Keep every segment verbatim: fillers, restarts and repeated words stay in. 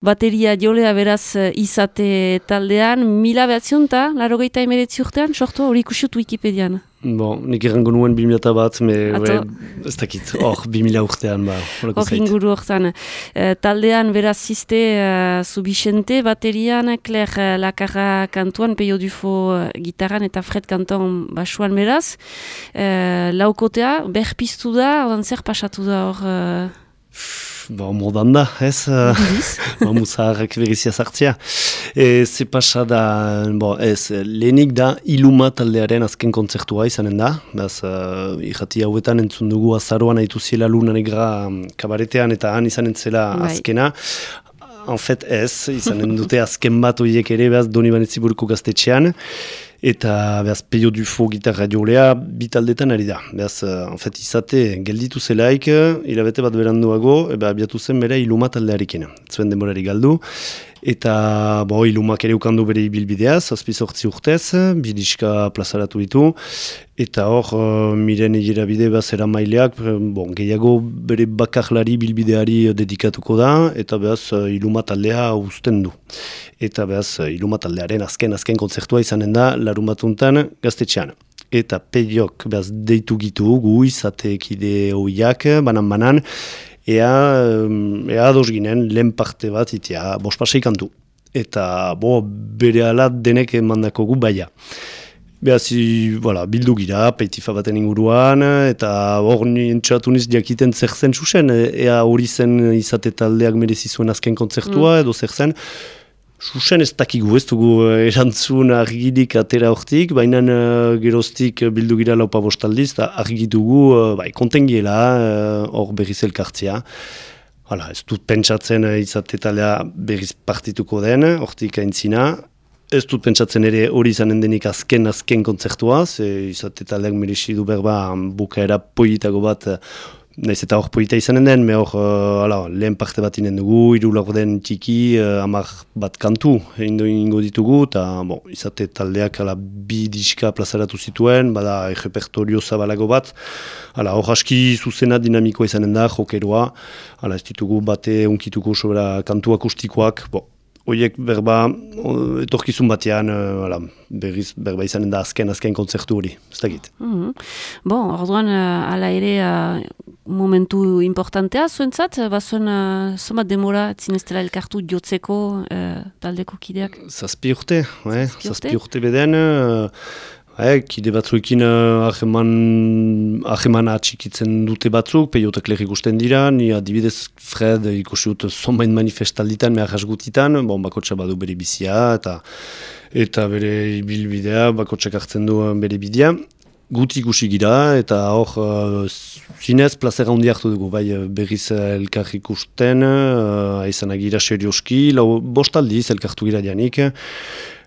bateria jolea beraz izate taldean, mila behatzion eta laro gehieta emeretzi urtean, sortu hori ikusiut Wikipedian. Bon, nik errango nuen bi mila bat, me, we, ez dakit, hor, bi mila urtean, ba, horako zait. Hor inguru hortan. E, taldean beraz ziste uh, Zubixente, baterian, Claire uh, Lakarra kantuan, Peio Dufo uh, gitaran eta Fred kanton basuan beraz. E, laukotea, berpiztu da, odan zer pasatu da hor... Uh... Ba, modan da, ez? Ba, muzaharrak berizia sartzea. E, ze pasa da, bo, ez, lehenik da Iluma taldearen azken kontzertua izanen da. Beaz, uh, irrati hauetan entzun dugu azaroan haitu ziela Luna Negra kabaretean eta han izanen zela azkena. En fait, ez, izanen dute azken bat horiek ere, beaz, Donibane-Ziburuko gaztetxean. Eta, behaz, Peio Dufo gitarra jolea bitaldetan ari da. Behaz, en fait, izate, gelditu zelaik, hilabete bat beranduago, eba, abiatu zen bere Iluma taldearekin. Zuen denborari galdu. Eta, bo, Ilumak ere ukandu bere ibilbidea, zazpi zortzi urtez, bidiska plazaratu ditu. Eta hor, uh, miren egira bide behaz eramaileak, bon, gehiago bere bakarlari bilbideari dedikatuko da, eta behaz Iluma taldea uzten du. Eta behaz Iluma taldearen azken azken kontzertua izanen da, larun batuntan gaztetxean. Eta Peiok behaz deitu gitu gu izateekide hoiak, banan-banan, ea, ea ados ginen lehen parte bat itea, bospasei kantu. Eta bo, bere ala denek emandako gu baia. Behaz, voilà, bildu gira, peitifa baten inguruan, eta hor entxatu niz jakiten zer zen susen, ea hori zen izate taldeak merezi zuen azken kontzertua, mm. edo zer zen. Susen ez dakigu, ez dugu erantzun argidik atera hortik, baina uh, geroztik bildu gira laupa bostaldiz, eta argitugu uh, bai, kontengiela hor uh, berriz elkartzea. Hala, ez dut pentsatzen uh, izate taldea berriz partituko den, hortik aintzina. Ez dut pentsatzen ere hori izanen denik azken azken kontzertua, ze izate taldeak merezi du berba bukaera poitago bat, naiz eta hor poita izanen den, me hor uh, ala, lehen parte bat inen dugu, hiru laurden txiki, uh, hamar bat kantu indo ingo ditugu, eta bon, izate taldeak ala, bi diska plazaratu zituen, bada repertorio zabalago bat, ala, hor aski zuzena dinamikoa izanen da, jokeroa, ala, ez ditugu bate unkituko sobera kantu akustikoak, bon, Oiek berba, etorkizun batean, uh, berriz berba izanen da azken azken kontzertu hori, ez dakit. Mm-hmm. Bon, orduan, uh, ala ere uh, momentu importantea zuentzat, bazuen uh, somat demora zineztela elkartu jotzeko uh, taldeko kideak? Zazpi urte, eh? Zazpi urte beden, uh, eh, kide batzuekin hageman uh, atxikitzen dute batzuk, Peiotak lehik ikusten dira, ni adibidez Fred ikusi dut zonbain manifestalditan, mehar hasgutitan, bon, bakotxa badu bere bizia, eta, eta bere bilbidea, bakotxak hartzen du bere bidea. Guti ikusi gira, eta hor, uh, zinez, plazera handi hartu dugu, bai berriz elkar ikusten, uh, aizan agira serioski, lau bostaldiz elkartu gira janik,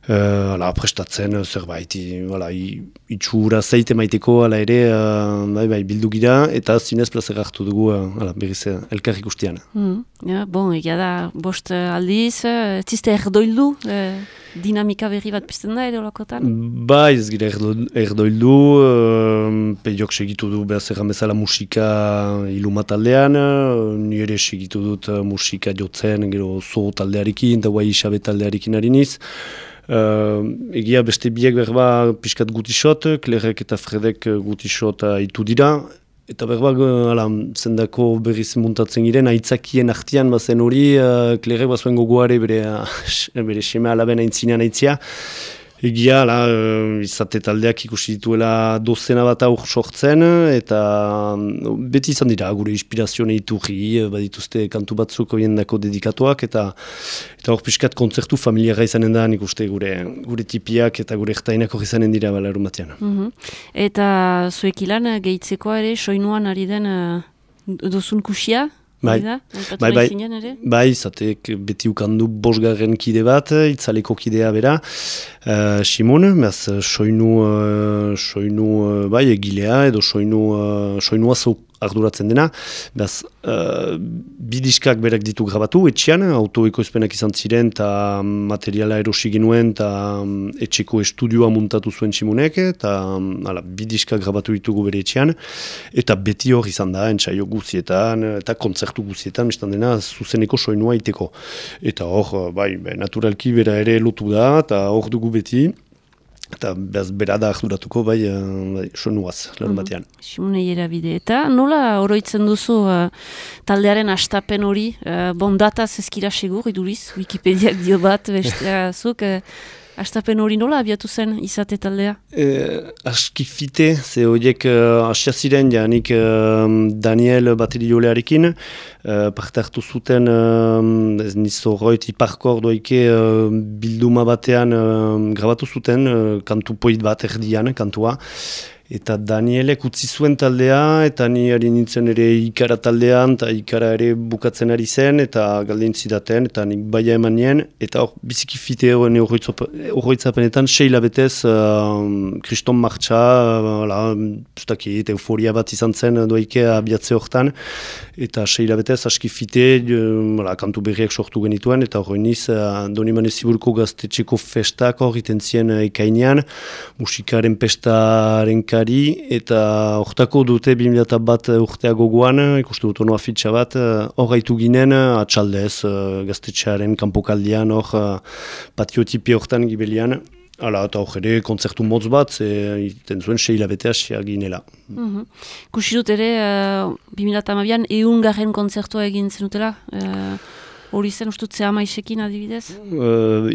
Uh, ala, prestatzen zerbait, wala, itxura zeite maiteko ala ere uh, bai, bai, bildu gira eta zinez plazera hartu dugu uh, ala, berriz elkar ikustean. Mm, ja, bon, egia da, bost aldiz, ez ziste erdoildu, eh, dinamika berri bat pizten da edo lakotan? Bai, ez gira erdoildu, uh, Peiok segitu du behaz erran bezala musika Iluma taldean, uh, ni ere segitu dut uh, musika jotzen, gero zo taldearekin, eta guai isabe taldearekin hariniz. Uh, egia beste biek berba pixkat gutisot, Klerek eta Fredek gutisot haitu dira, eta berba ala, zendako berriz muntatzen giren, aitzakien artian bazen hori, uh, Klerek bazuen gogoare bere, bere seme alaben aintzinean aitzia. Egia, la, izate taldeak ikusi dituela dozena bat aur sortzen, eta beti izan dira, gure inspirazioa iturri, badituzte kantu batzuk horiendako dedikatuak, eta eta hor pixkat kontzertu familiara izanen da, nik uste gure, gure tipiak eta gure ertainak hori izanen dira bala erumatean. Mm-hmm. Eta zuek ilan, gehitzeko ere, soinuan ari den uh, dozun kusia? Bai, bai, bai, bai, zatek beti ukandu bosgarren kide bat, itzaleko kidea bera, uh, Simon, beaz, soinu, uh, soinu uh, bai, egilea, edo soinu, uh, soinu arduratzen dena, behaz, uh, bidiskak berak ditu grabatu, etxean, autoekoizpenak izan ziren, eta materiala erosi ginuen, eta um, etxeko estudioa muntatu zuen Simunek, eta um, bidiskak grabatu ditugu bere etxean, eta beti hor izan da, entsaio guzietan, eta kontzertu guzietan, bestan dena, zuzeneko soinua iteko. Eta hor, bai, naturalki bera ere lotu da, eta hor dugu beti, eta behaz bera da arduratuko, bai, bai soinuaz, larun batean. Mm, Simonei erabide. Eta nola oroitzen duzu uh, taldearen astapen hori? Uh, bon, dataz ezkira segur, iduriz, Wikipediak dio bat, besteazuk, uh, astapen hori nola abiatu zen izate taldea? E, aski fite, ze horiek uh, asia ziren, janik uh, Daniel bateriolearekin, uh, parte hartu zuten, uh, ez nizo roit iparkor doike uh, bilduma batean uh, grabatu zuten, uh, kantu poit bat erdian, kantua, eta Danielek utzi zuen taldea, eta ni ari nintzen ere ikara taldean, eta ikara ere bukatzen ari zen, eta galdein zidaten, eta nik baia eman nien, eta hor biziki fite horroitzapenetan, seila betez, kriston uh, martxa, uh, euforia bat izan zen doike abiatze hortan, eta seila betez, aski fite, uh, kantu berriak sortu genituen, eta hori niz, uh, Donibane Ziburko gaztetxeko festak hor iten zien uh, ekainean, musikaren pestaren eta hortako dute bi mila bat urtea gogoan, ikustu dut ono afitxa bat, hor gaitu ginen atxaldez, gaztetxearen kanpokaldian, hor patiotipi hortan gibelian, hala, eta hor ere kontzertu motz bat, iten zuen seila betea xea ginela. Mm-hmm. Kusi dut ere, uh, bi mila hamabian eun garren kontzertua egin zenutela? Uh... Hori zen ustutzea maisekin adibidez? Uh,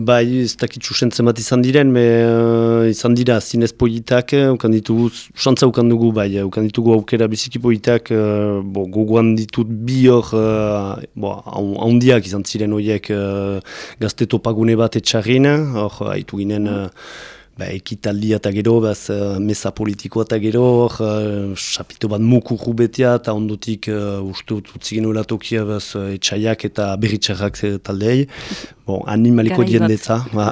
bai, ez dakitzu sentzen bat izan diren, me, uh, izan dira zinez politak, ukan ditugu, xantza ukan dugu, bai, ukan ditugu aukera biziki politak, uh, bo, gogoan ditut bi hor, uh, handiak izan ziren horiek uh, gazte topagune bat etxarrin, hor, haitu ginen, uh, Ba, ekitaldia eta gero, baz, uh, mesa politikoa eta gero, uh, sapito bat mukurru betea, eta ondotik uh, uste utzi genuela tokia, baz, uh, etxaiak eta berritxarrak taldei, bon, animaliko diendetza. Ba.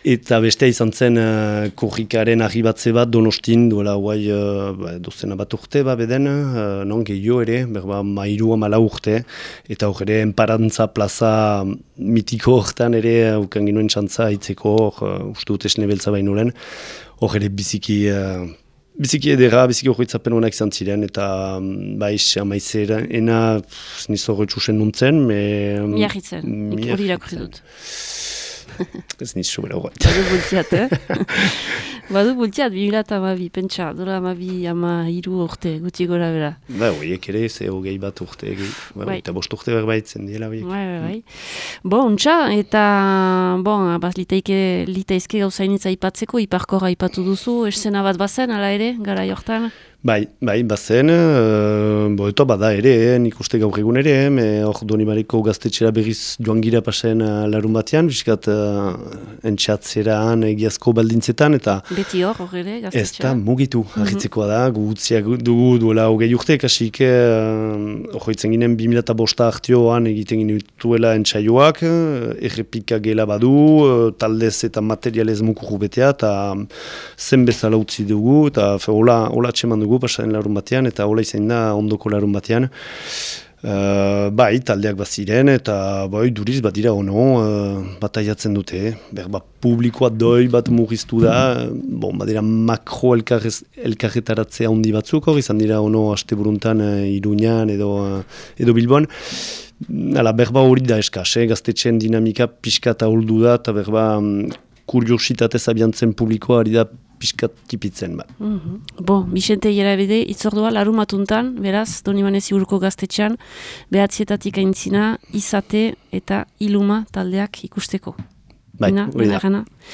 Eta beste izan zen uh, korrikaren arribatze bat Donostin, duela guai uh, ba, dozena bat urte, ba, beden, uh, non gehiago ere, berba mairu amala urte, eta hor ere enparantza plaza mitiko hortan ere, ukan ginoen txantza hitzeko, uh, uste dut esne beltza bainulen, hor ere biziki... Uh, Biziki edera, biziki horretzapen honak izan ziren, eta baiz, amaizera, ena nizo horretxusen nuntzen, me... Miarritzen, hori irakurri dut. Ez niz sobera horret. Badu bultiat, eh? Badu bultiat, bi mila eta amabi, pentsa, dola amabi ama hiru urte, guti gora bera. Ba, horiek ere, ze hogei bat urte, ba, eta bost urte berbaitzen diela horiek. Bai, bai, bai. Bo, untxa, eta, bon, bat litaike, litaizke gauzainitza ipatzeko, iparkora ipatu duzu, esena bat bazen, ala ere, gara jortan? Bai, bai, bazen, uh, bo, eta bada ere, eh, nik uste gaur egun ere, eh, hor Donibareko gaztetxera berriz joan gira pasen uh, larun batean, biskat uh, entxatzeran egiazko baldintzetan, eta... Beti hor, hor ere, gaztetxera? Ez da, mugitu, argitzekoa da, gu utziak dugu duela hogei urte, kasik, hor uh, itzen ginen bi mila eta bosta hartioan egiten ginen duela entxaioak, errepika gela badu, uh, taldez eta materialez mukurru betea, eta zen bezala utzi dugu, eta hola, hola txeman dugu, pasaren larun batean, eta hola izan da ondoko larun batean. Uh, bai, taldeak bat ziren, eta bai, duriz bat dira ono, uh, bat aiatzen dute. Berba, publikoa doi bat murriztu da, bon, bat dira makro elkarretaratzea handi batzuk, hor izan dira ono haste buruntan uh, Iruñan edo, uh, edo Bilbon. Hala, berba hori da eskaz, eh? Gaztetxeen dinamika pixka eta holdu da, eta berba um, kuriositatez abiantzen publikoa ari da piskat tipitzen, ba. Mm-hmm. Bo, Bixente Ierabide, itzordua larumatuntan, beraz, Donibane Ziburko gaztetxean, behatzietatik aintzina, izate eta iluma taldeak ikusteko. Bai, hori da,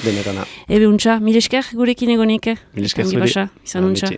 benerana. Ebe untxa, mil esker gurekin egonik, mil esker zuri, izan untxa.